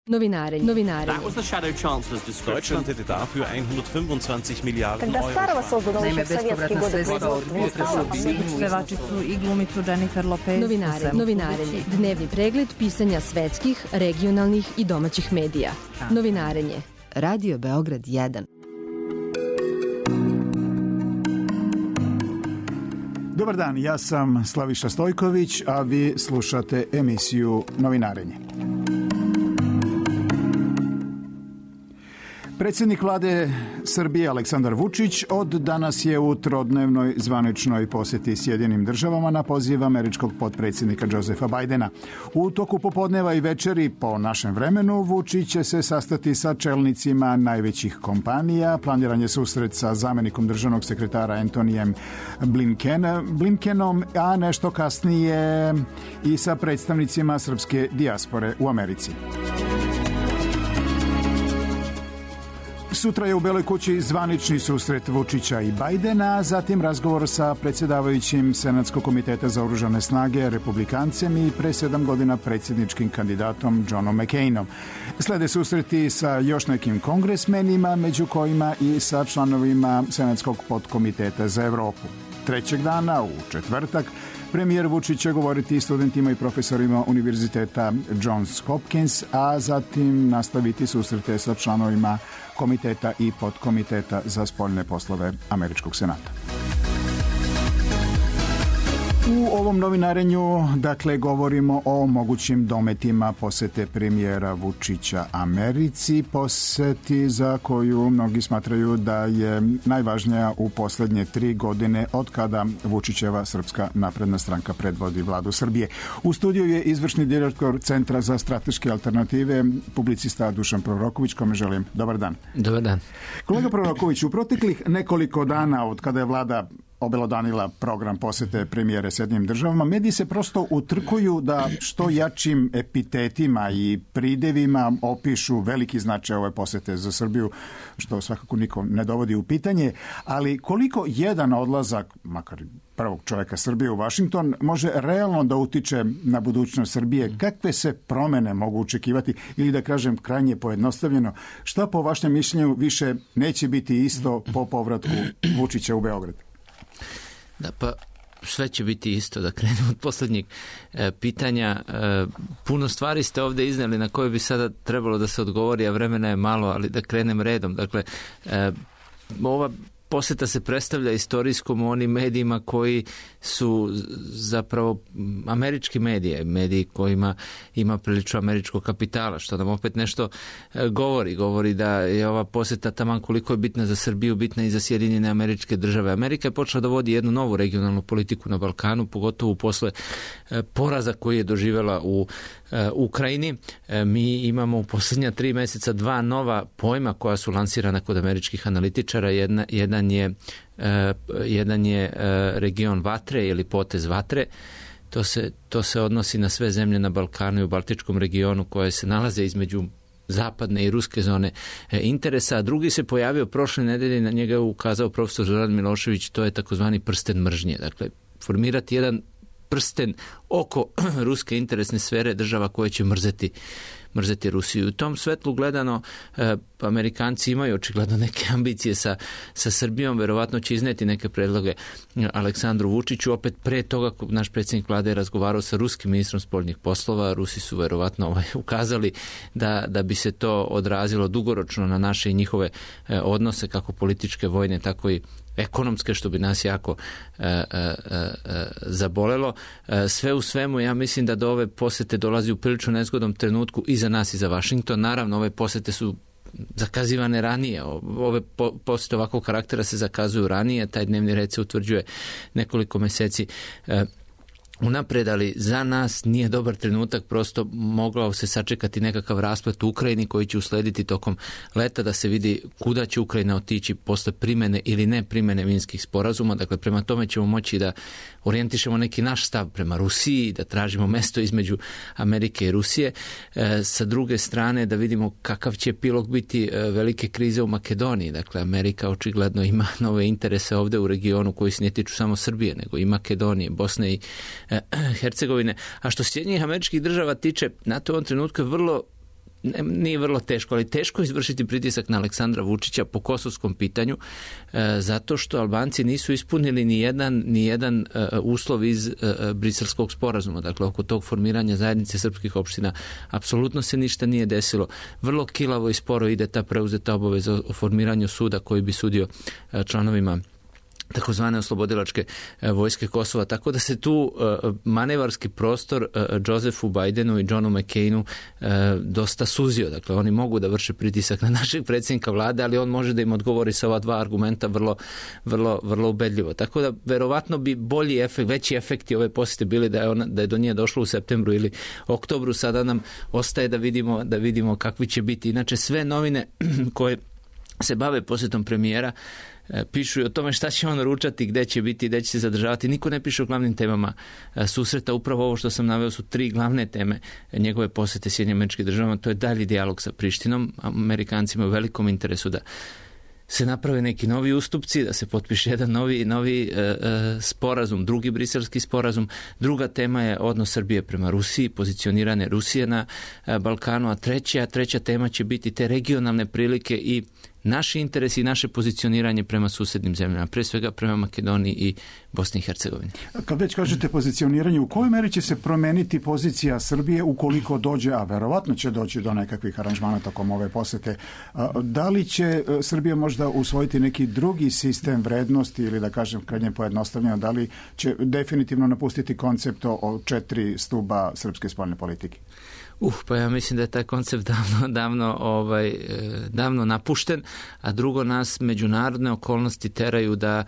Novinarenje. That was the Shadow Chancellor's description. Deutschland hätte dafür 125 Miliarden Когда старого создано еще в советские годы производства не стало, Pevačicu i glumicu Jennifer Lopez. Novinarenje. Dnevni pregled pisanja svetskih, regionalnih i domaćih medija. Novinarenje. Radio Beograd 1. Dobar dan, ja sam Slaviša Stojković, a vi slušate emisiju Novinarenje. Predsjednik vlade Srbije Aleksandar Vučić od danas je u trodnevnoj zvaničnoj posjeti Sjedinim državama na poziv američkog potpredsjednika Josepha Bidena. U toku popodneva i večeri po našem vremenu Vučić će se sastati sa čelnicima najvećih kompanija. Planiran je susret sa zamjenikom državnog sekretara Antonijem Blinkenom, a nešto kasnije i sa predstavnicima srpske dijaspore u Americi. Sutra je u Beloj kući zvanični susret Vučića i Bidena, zatim razgovor sa predsjedavajućim Senatskog komiteta za oružane snage republikancem i pre 7 godina predsjedničkim kandidatom Johnom McCainom. Slede susreti sa još nekim kongresmenima, među kojima i sa članovima Senatskog podkomiteta za Evropu. Trećeg dana, u četvrtak, premijer Vučić će govoriti studentima i profesorima Univerziteta Johns Hopkins, a zatim nastaviti susrete sa članovima komiteta i podkomiteta za spoljne poslove Američkog senata. U ovom novinarenju, dakle, govorimo o mogućim dometima posete premijera Vučića Americi, poseti za koju mnogi smatraju da je najvažnija u posljednje 3 godine od kada Vučićeva Srpska napredna stranka predvodi vladu Srbije. U studiju je izvršni direktor Centra za strateške alternative, publicista Dušan Proroković, kome želim dobar dan. Dobar dan. Kolega Proroković, u proteklih nekoliko dana od kada je vlada obelodanila program posete premijere Sjedinjenim državama, mediji se prosto utrkuju da što jačim epitetima i pridevima opišu veliki značaj ove posete za Srbiju, što svakako niko ne dovodi u pitanje, ali koliko jedan odlazak, makar prvog čovjeka Srbije u Washington, može realno da utiče na budućnost Srbije? Kakve se promene mogu očekivati, ili da kažem krajnje pojednostavljeno, šta po vašem mišljenju više neće biti isto po povratku Vučića u Beograd? Da, pa sve će biti isto, da krenemo od posljednjeg pitanja. Puno stvari ste ovdje iznijeli na koje bi sada trebalo da se odgovori, a vremena je malo, ali da krenem redom. Dakle, ova posjeta se predstavlja istorijskom u onim medijima koji su zapravo američki mediji kojima ima prilično američkog kapitala, što nam opet nešto govori da je ova posjeta taman koliko je bitna za Srbiju, bitna i za Sjedinjene Američke Države. Amerika je počela da vodi jednu novu regionalnu politiku na Balkanu, pogotovo posle poraza koji je doživjela u Ukrajini. Mi imamo u posljednja 3 mjeseca 2 nova pojma koja su lansirana kod američkih analitičara. Jedan je region vatre ili potez vatre. To se odnosi na sve zemlje na Balkanu i u Baltičkom regionu koje se nalaze između zapadne i ruske zone interesa. A drugi se pojavio prošle nedelje, na njega je ukazao profesor Zoran Milošević, to je takozvani prsten mržnje. Dakle, formirati jedan prsten oko ruske interesne sfere država koje će mrzeti Rusiju. U tom svetlu gledano, Amerikanci imaju očigledno neke ambicije sa Srbijom, verovatno će izneti neke predloge Aleksandru Vučiću. Opet pre toga naš predsjednik vlade je razgovarao sa ruskim ministrom spoljnih poslova. Rusi su verovatno ukazali da bi se to odrazilo dugoročno na naše i njihove odnose, kako političke, vojne, tako i ekonomske, što bi nas jako zabolelo. Sve u svemu, ja mislim da do ove posete dolazi u prilično nezgodnom trenutku i za nas i za Washington. Naravno, ove posete su zakazivane ranije. Ove posete ovakvog karaktera se zakazuju ranije. Taj dnevni red se utvrđuje nekoliko mjeseci unaprijed, ali za nas nije dobar trenutak, prosto mogao se sačekati nekakav rasplet u Ukrajini koji će uslediti tokom leta, da se vidi kuda će Ukrajina otići posle primene ili ne primene minskih sporazuma. Dakle, prema tome ćemo moći da orijentišemo neki naš stav prema Rusiji, da tražimo mesto između Amerike i Rusije. Sa druge strane, da vidimo kakav će epilog biti velike krize u Makedoniji. Dakle, Amerika očigledno ima nove interese ovdje u regionu koji se ne tiču samo Srbije, nego i Makedonije, Bosne i Hercegovine. A što Sjedinjenih Američkih Država tiče, NATO u ovom trenutku je vrlo nije vrlo teško, ali teško izvršiti pritisak na Aleksandra Vučića po kosovskom pitanju, zato što Albanci nisu ispunili ni jedan uslov iz Briselskog sporazuma. Dakle, oko tog formiranja zajednice srpskih opština apsolutno se ništa nije desilo. Vrlo kilavo i sporo ide ta preuzeta obaveza o formiranju suda koji bi sudio članovima takozvane oslobodilačke vojske Kosova, tako da se tu manevarski prostor Josephu Bidenu i Johnu McCainu dosta suzio. Dakle, oni mogu da vrše pritisak na našeg predsjednika vlade, ali on može da im odgovori sa ova dva argumenta vrlo ubedljivo. Tako da, verovatno bi veći efekti ove posjete bili da je do nje došlo u septembru ili oktobru. Sada nam ostaje da vidimo kakvi će biti. Inače, sve novine koje se bave posjetom premijera pišu i o tome šta će on ručati, gde će biti, gde će se zadržavati. Niko ne piše o glavnim temama susreta. Upravo ovo što sam naveo su 3 glavne teme njegove posete Sjedinjenim Američkim Državama. To je dalji dijalog sa Prištinom. Amerikanci imaju velikom interesu da se naprave neki novi ustupci, da se potpiše jedan novi sporazum, drugi briselski sporazum. Druga tema je odnos Srbije prema Rusiji, pozicionirane Rusije na Balkanu, a treća tema će biti te regionalne prilike i naši interesi i naše pozicioniranje prema susednim zemljama, pre svega prema Makedoniji i Bosni i Hercegovini. Kad već kažete pozicioniranje, u kojoj meri će se promeniti pozicija Srbije ukoliko dođe, a verovatno će doći do nekakvih aranžmana tokom ove posete, da li će Srbija možda usvojiti neki drugi sistem vrednosti ili da kažem krajnje pojednostavljeno, da li će definitivno napustiti koncept o 4 stuba srpske spoljne politike? Pa ja mislim da je taj koncept davno napušten, a drugo, nas međunarodne okolnosti teraju da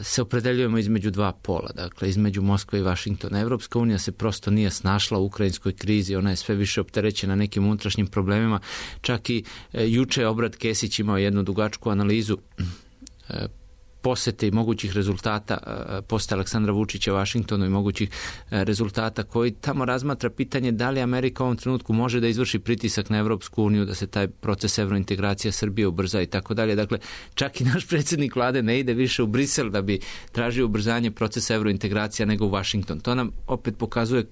se opredeljujemo između dva pola, dakle između Moskve i Vašingtona. Evropska unija se prosto nije snašla u ukrajinskoj krizi, ona je sve više opterećena nekim unutrašnjim problemima. Čak i juče je Obrad Kesić imao jednu dugačku analizu posete i mogućih rezultata posete Aleksandra Vučića Vašingtonu i mogućih rezultata, koji tamo razmatra pitanje da li Amerika u ovom trenutku može da izvrši pritisak na Evropsku uniju, da se taj proces evrointegracija Srbije ubrza i tako dalje. Dakle, čak i naš predsjednik vlade ne ide više u Brisel da bi tražio ubrzanje procesa evrointegracija nego u Vašington. To nam opet pokazuje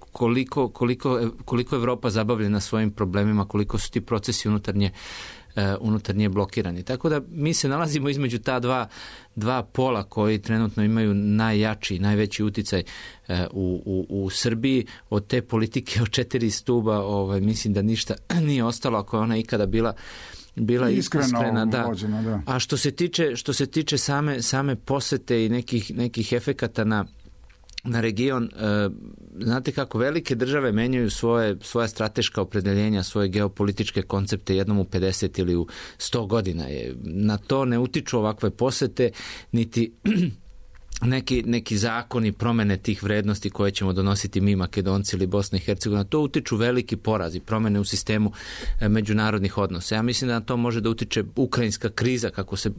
koliko Evropa zabavljena svojim problemima, koliko su ti procesi unutarnje blokirani. Tako da mi se nalazimo između ta dva pola koji trenutno imaju najjači i najveći uticaj u Srbiji. Od te politike od 4 stuba mislim da ništa nije ostalo, ako je ona ikada bila iskrena, da. Vođena, da. A što se tiče same posete i nekih efekata na region, znate kako velike države menjaju svoja strateška opredeljenja, svoje geopolitičke koncepte jednom u 50 ili u 100 godina. Na to ne utiču ovakve posete, niti neki zakoni promene tih vrednosti koje ćemo donositi mi Makedonci ili Bosna i Hercegovina. To utiču veliki porazi, promene u sistemu međunarodnih odnosa. Ja mislim da na to može da utiče ukrajinska kriza, kako se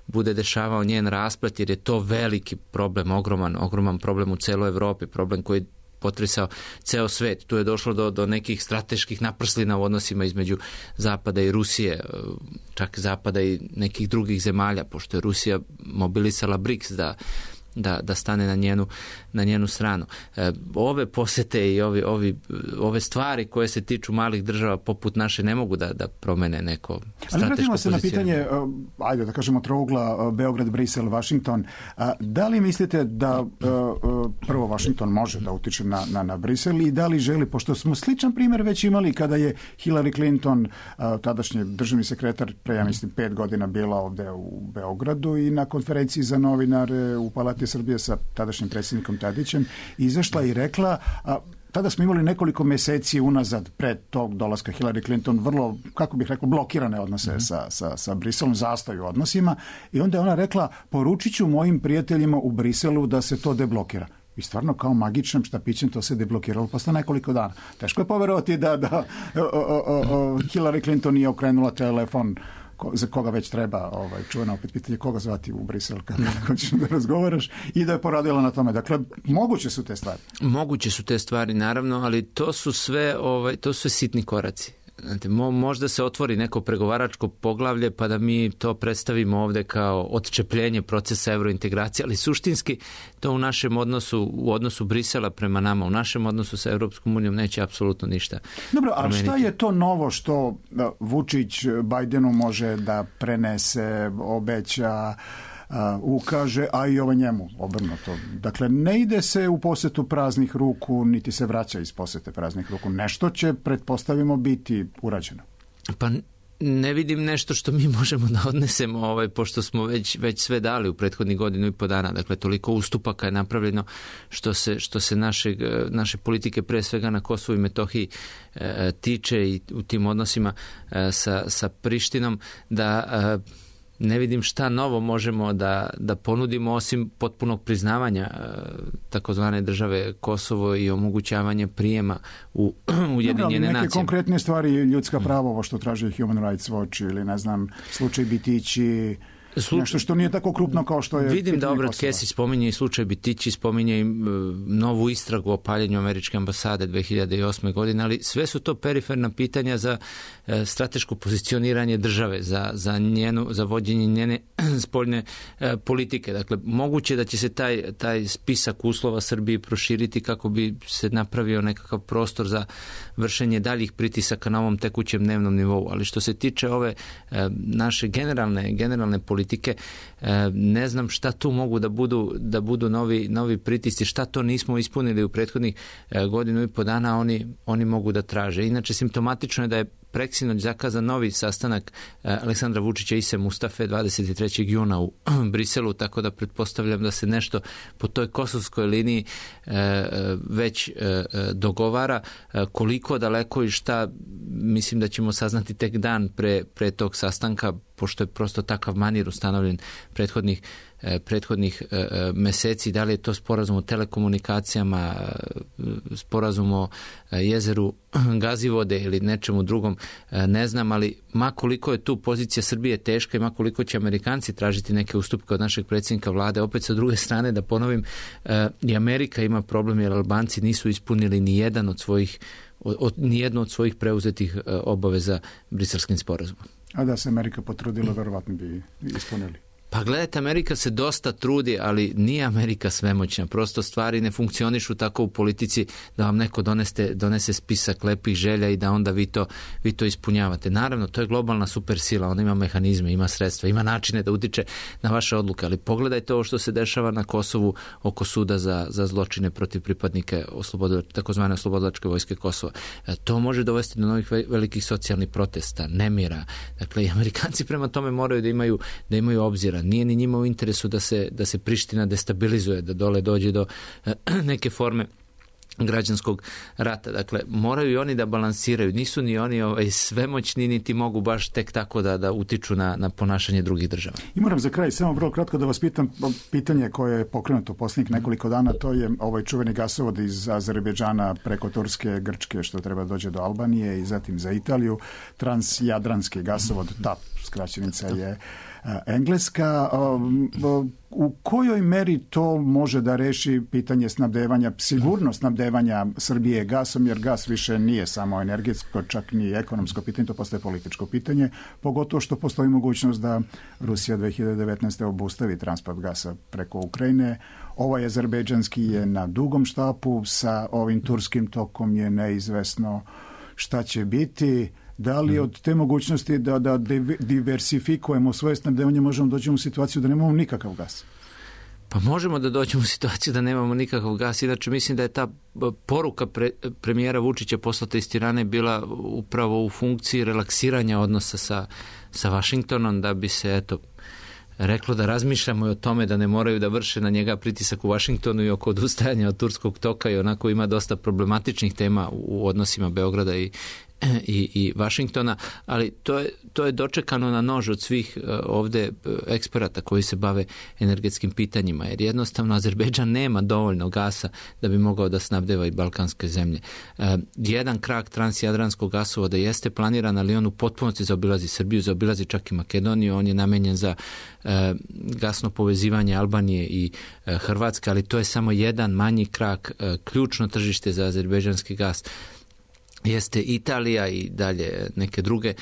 bude dešavao njen rasplet, jer je to veliki problem, ogroman problem u celoj Evropi, problem koji potresao ceo svet. Tu je došlo do nekih strateških naprslina u odnosima između Zapada i Rusije, čak Zapada i nekih drugih zemalja, pošto je Rusija mobilisala BRICS da stane na njenu stranu. Ove posete i ove stvari koje se tiču malih država poput naše ne mogu da promene neko strateško pozicioniranje. Ali vratimo se na pitanje, ajde da kažemo trougla Beograd, Brisel, Vašington. Da li mislite da prvo Vašington može da utiče na Brisel i da li želi, pošto smo sličan primjer već imali kada je Hillary Clinton, tadašnji državni sekretar, pre, ja mislim, 5 godina bila ovde u Beogradu i na konferenciji za novinare u Palati Srbije sa tadašnjim predsjednikom Tadićem izašla i rekla, tada smo imali nekoliko meseci unazad pred tog dolaska Hillary Clinton vrlo, kako bih rekao, blokirane odnose sa Briselom, zastoj u odnosima, i onda je ona rekla, poručit ću mojim prijateljima u Briselu da se to deblokira. I stvarno kao magičnim štapićem to se deblokiralo posle nekoliko dana. Teško je poverovati da Hillary Clinton nije okrenula telefon za koga već treba, čuveno opet pitanje koga zvati u Brisel kada hoćeš da razgovaraš, i da je poradila na tome. Dakle, moguće su te stvari. Moguće su te stvari, naravno, ali to su sve sitni koraci. Znate, možda se otvori neko pregovaračko poglavlje pa da mi to predstavimo ovde kao odčepljenje procesa evrointegracije, ali suštinski to u našem odnosu, u odnosu Brisela prema nama, u našem odnosu sa Europskom unijom neće apsolutno ništa. Dobro, a šta je to novo što Vučić Bajdenu može da prenese, obeća, ukaže, a i ovo njemu obrnuto? Dakle, ne ide se u posetu praznih ruku, niti se vraća iz posete praznih ruku. Nešto će, pretpostavimo, biti urađeno. Pa ne vidim nešto što mi možemo da odnesemo, pošto smo već sve dali u prethodnih godinu i po dana. Dakle, toliko ustupaka je napravljeno što se naše politike, pre svega na Kosovu i Metohiji, tiče i u tim odnosima sa Prištinom, da ne vidim šta novo možemo da ponudimo osim potpunog priznavanja takozvane države Kosovo i omogućavanje prijema u Ujedinjene nacije. Neke konkretne stvari, ljudska prava, ovo što traži Human Rights Watch ili ne znam, slučaj Bitići, nešto što nije tako krupno kao što je... Vidim da Obrat Kesić spominje i slučaj Bitići, spominje i novu istragu o paljenju američke ambasade 2008. godine, ali sve su to periferna pitanja za strateško pozicioniranje države, za vođenje njene spoljne politike. Dakle, moguće da će se taj spisak uslova Srbiji proširiti kako bi se napravio nekakav prostor za vršenje daljih pritisaka na ovom tekućem dnevnom nivou. Ali što se tiče ove naše generalne politike, ne znam šta tu mogu da budu novi pritisci, šta to nismo ispunili u prethodnih godinu i po dana, oni mogu da traže. Inače, simptomatično je da je preksinoć zakazan novi sastanak Aleksandra Vučića i Ise Mustafe 23. juna u Briselu, tako da pretpostavljam da se nešto po toj kosovskoj liniji već dogovara. Koliko daleko i šta, mislim da ćemo saznati tek dan pre tog sastanka, pošto je prosto takav manir ustanovljen prethodnih meseci. Da li je to sporazum o telekomunikacijama, sporazum o jezeru Gazivode ili nečemu drugom, ne znam, ali makoliko je tu pozicija Srbije teška i makoliko će Amerikanci tražiti neke ustupke od našeg predsjednika vlade, opet sa druge strane da ponovim, i Amerika ima problem jer Albanci nisu ispunili nijednu od svojih preuzetih obaveza Briselskim sporazumom. A da se Amerika potrudila, verovatno bi ispunili. Pa gledajte, Amerika se dosta trudi, ali nije Amerika svemoćna. Prosto stvari ne funkcionišu tako u politici da vam neko donese spisak lepih želja i da onda vi to ispunjavate. Naravno, to je globalna supersila, ona ima mehanizme, ima sredstva, ima načine da utiče na vaše odluke, ali pogledajte ovo što se dešava na Kosovu oko suda za zločine protiv pripadnika takozvane oslobodilačke vojske Kosova. To može dovesti do novih velikih socijalnih protesta, nemira. Dakle, i Amerikanci prema tome moraju da imaju obzira. Nije ni njima u interesu da se Priština destabilizuje, da dole dođe do neke forme građanskog rata. Dakle, moraju i oni da balansiraju. Nisu ni oni svemoćni, niti mogu baš tek tako da utiču na ponašanje drugih država. I moram za kraj samo vrlo kratko da vas pitam pitanje koje je pokrenuto posljednjih nekoliko dana, to je ovaj čuveni gasovod iz Azerbejdžana preko Turske, Grčke, što treba dođe do Albanije i zatim za Italiju. Transjadranski gasovod, TAP, skraćenica je engleska. U kojoj meri to može da reši pitanje snabdevanja, sigurnost snabdevanja Srbije gasom, jer gas više nije samo energetsko, čak ni ekonomsko pitanje, to postaje političko pitanje, pogotovo što postoji mogućnost da Rusija 2019. obustavi transport gasa preko Ukrajine. Ovaj azerbejdžanski je na dugom štapu, sa ovim turskim tokom je neizvesno šta će biti. Da li od te mogućnosti da diversifikujemo svoje snabdevanje možemo doći u situaciju da nemamo nikakav gas? Pa možemo da dođemo u situaciju da nemamo nikakav gas. Inače, mislim da je ta poruka premijera Vučića poslata iz Tirane bila upravo u funkciji relaksiranja odnosa sa Vašingtonom, da bi se, reklo da razmišljamo i o tome da ne moraju da vrše na njega pritisak u Vašingtonu i oko odustajanja od turskog toka, i onako ima dosta problematičnih tema u odnosima Beograda i Vašingtona, ali to je dočekano na nož od svih ovde eksperata koji se bave energetskim pitanjima, jer jednostavno Azerbejdžan nema dovoljno gasa da bi mogao da snabdeva i balkanske zemlje. Jedan krak transjadranskog gasovoda jeste planiran, ali on u potpunosti zaobilazi Srbiju, zaobilazi čak i Makedoniju, on je namenjen za gasno povezivanje Albanije i Hrvatske, ali to je samo jedan manji krak, ključno tržište za azerbejdžanski gas jeste Italija i dalje neke druge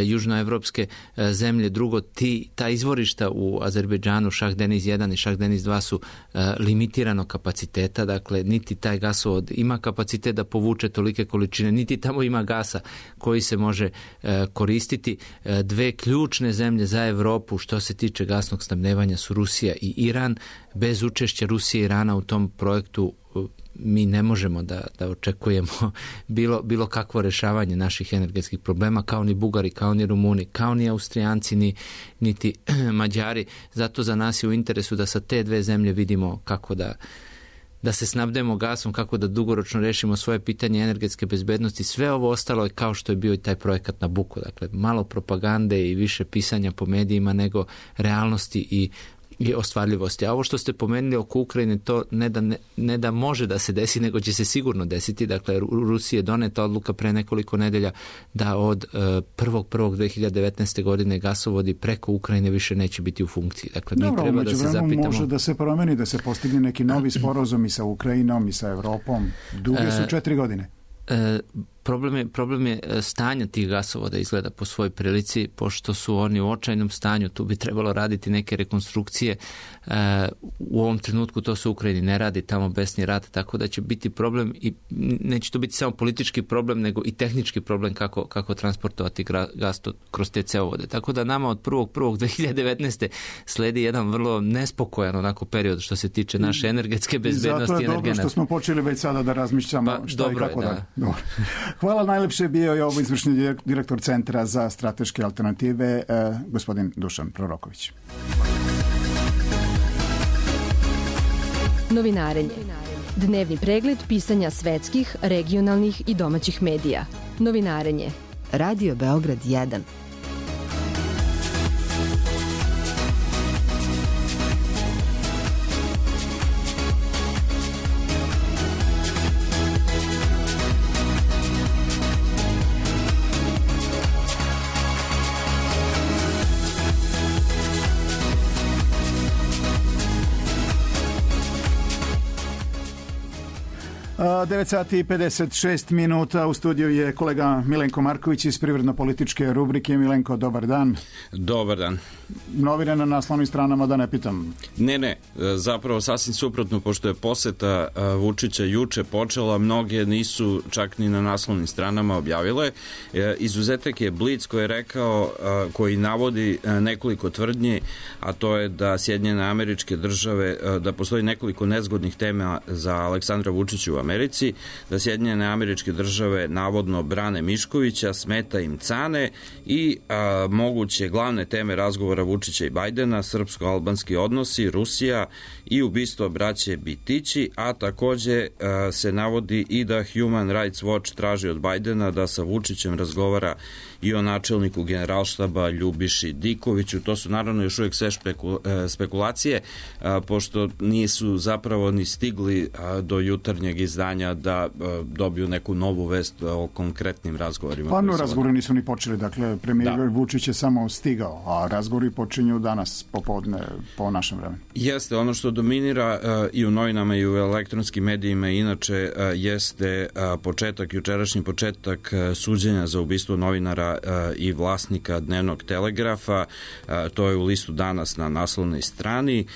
južnoevropske zemlje. Drugo, ta izvorišta u Azerbejdžanu, Šah Deniz 1 i Šah Deniz 2 su limitirano kapaciteta, dakle niti taj gasovod ima kapacitet da povuče tolike količine, niti tamo ima gasa koji se može koristiti. Dve ključne zemlje za Evropu što se tiče gasnog snabdevanja su Rusija i Iran. Bez učešća Rusije i Irana u tom projektu mi ne možemo da očekujemo bilo kakvo rešavanje naših energetskih problema, kao ni Bugari, kao ni Rumuni, kao ni Austrijanci, niti Mađari. Zato za nas je u interesu da sa te dve zemlje vidimo kako da se snabdemo gasom, kako da dugoročno rešimo svoje pitanje energetske bezbednosti. Sve ovo ostalo je kao što je bio i taj projekat Nabucco. Dakle, malo propagande i više pisanja po medijima nego realnosti i ostvarljivosti. A ovo što ste pomenuli oko Ukrajine, to ne da može da se desi, nego će se sigurno desiti. Dakle, Rusiji je doneta odluka pre nekoliko nedelja da od 1.1.2019. godine gasovodi preko Ukrajine više neće biti u funkciji. Dakle, mi treba da se zapitamo. Može da se promeni, da se postigne neki novi sporazum i sa Ukrajinom i sa Evropom. Duge su 4 godine. Problem je stanja tih gasovoda izgleda po svojoj prilici, pošto su oni u očajnom stanju, tu bi trebalo raditi neke rekonstrukcije. U ovom trenutku to se u Ukrajini ne radi, tamo besni rat, tako da će biti problem i neće to biti samo politički problem, nego i tehnički problem kako transportovati gas kroz te cevovode. Tako da nama od 1.1.2019. sledi jedan vrlo nespokojan onako period što se tiče naše energetske bezbednosti. I zato je dobro što smo počeli već sada da razmišljamo šta i kako da. Hvala, najlepše bio je ovo izvršni direktor Centra za strateške alternative, gospodin Dušan Proroković. Novinarenje. Dnevni pregled pisanja svetskih, regionalnih i domaćih medija. Novinarenje. Radio Beograd 1. Uh, 9 sati i 56 minuta. U studiju je kolega Milenko Marković iz privredno-političke rubrike. Milenko, dobar dan. Dobar dan. Novine na naslovnim stranama, da ne pitam. Ne, zapravo sasvim suprotno, pošto je poseta Vučića juče počela, mnoge nisu čak ni na naslovnim stranama objavile. Izuzetak je Blic koji je rekao, koji navodi nekoliko tvrdnji, a to je da Sjedinjene Američke Države, da postoji nekoliko nezgodnih tema za Aleksandra Vučića u Americi, da Sjedinjene Američke Države navodno brane Miškovića, smeta im Cane i moguće glavne teme razgovora Vučića i Bajdena, srpsko-albanski odnosi, Rusija i ubistvo braće Bitići, a takođe se navodi i da Human Rights Watch traži od Bajdena da sa Vučićem razgovara i o načelniku generalštaba Ljubiši Dikoviću. To su naravno još uvijek sve spekulacije, pošto nisu zapravo ni stigli do jutarnjeg izdanja da dobiju neku novu vest o konkretnim razgovorima. Pa razgovori nisu ni počeli, dakle premijer Vučić je samo stigao, a razgovori počinju danas popodne po našem vremenu. Jeste, ono što dominira i u novinama i u elektronskim medijima inače jeste jučerašnji početak suđenja za ubistvo novinara i vlasnika Dnevnog telegrafa. To je u listu Danas na naslovnoj strani.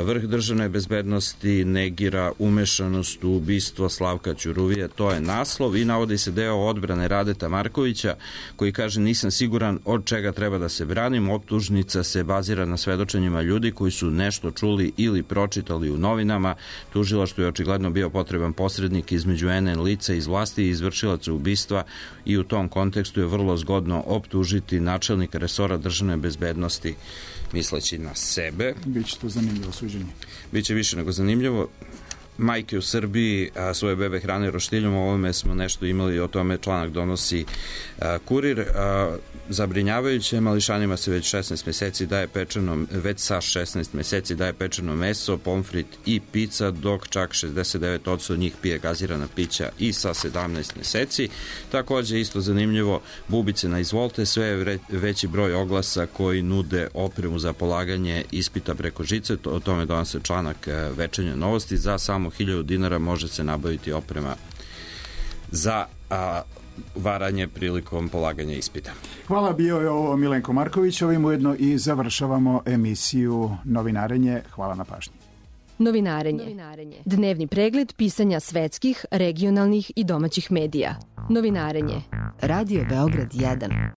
Vrh državne bezbednosti negira umešanost u ubistvo Slavka Ćuruvije. To je naslov i navodi se deo odbrane Radeta Markovića koji kaže: nisam siguran od čega treba da se branim. Optužnica se bazira na svedočenjima ljudi koji su nešto čuli ili pročitali u novinama. Tužilaštvu je očigledno bio potreban posrednik između NN lica iz vlasti i izvršilaca ubistva i u tom kontekstu je vrlo zgodno optužiti načelnika resora državne bezbednosti misleći na sebe. Biće to zanimljivo suđenje. Biće više nego zanimljivo. Majke u Srbiji svoje bebe hrane roštiljom, o ovome smo nešto imali, o tome članak donosi Kurir. Zabrinjavajuće, mališanima se već 16 meseci daje pečeno, već sa 16 meseci daje pečeno meso, pomfrit i pizza, dok čak 69% njih pije gazirana pića i sa 17 meseci. Takođe, isto zanimljivo, bubice na izvolte, sve je veći broj oglasa koji nude opremu za polaganje ispita preko žice, o tome donose članak Večernje novosti. Za samo 1000 dinara može se nabaviti oprema za varanje prilikom polaganja ispita. Hvala, bio je ovo Milenko Marković. Ovim ujedno i završavamo emisiju Novinarenje. Hvala na pažnji. Novinarenje. Dnevni pregled pisanja svetskih, regionalnih i domaćih medija. Novinarenje. Radio Beograd 1.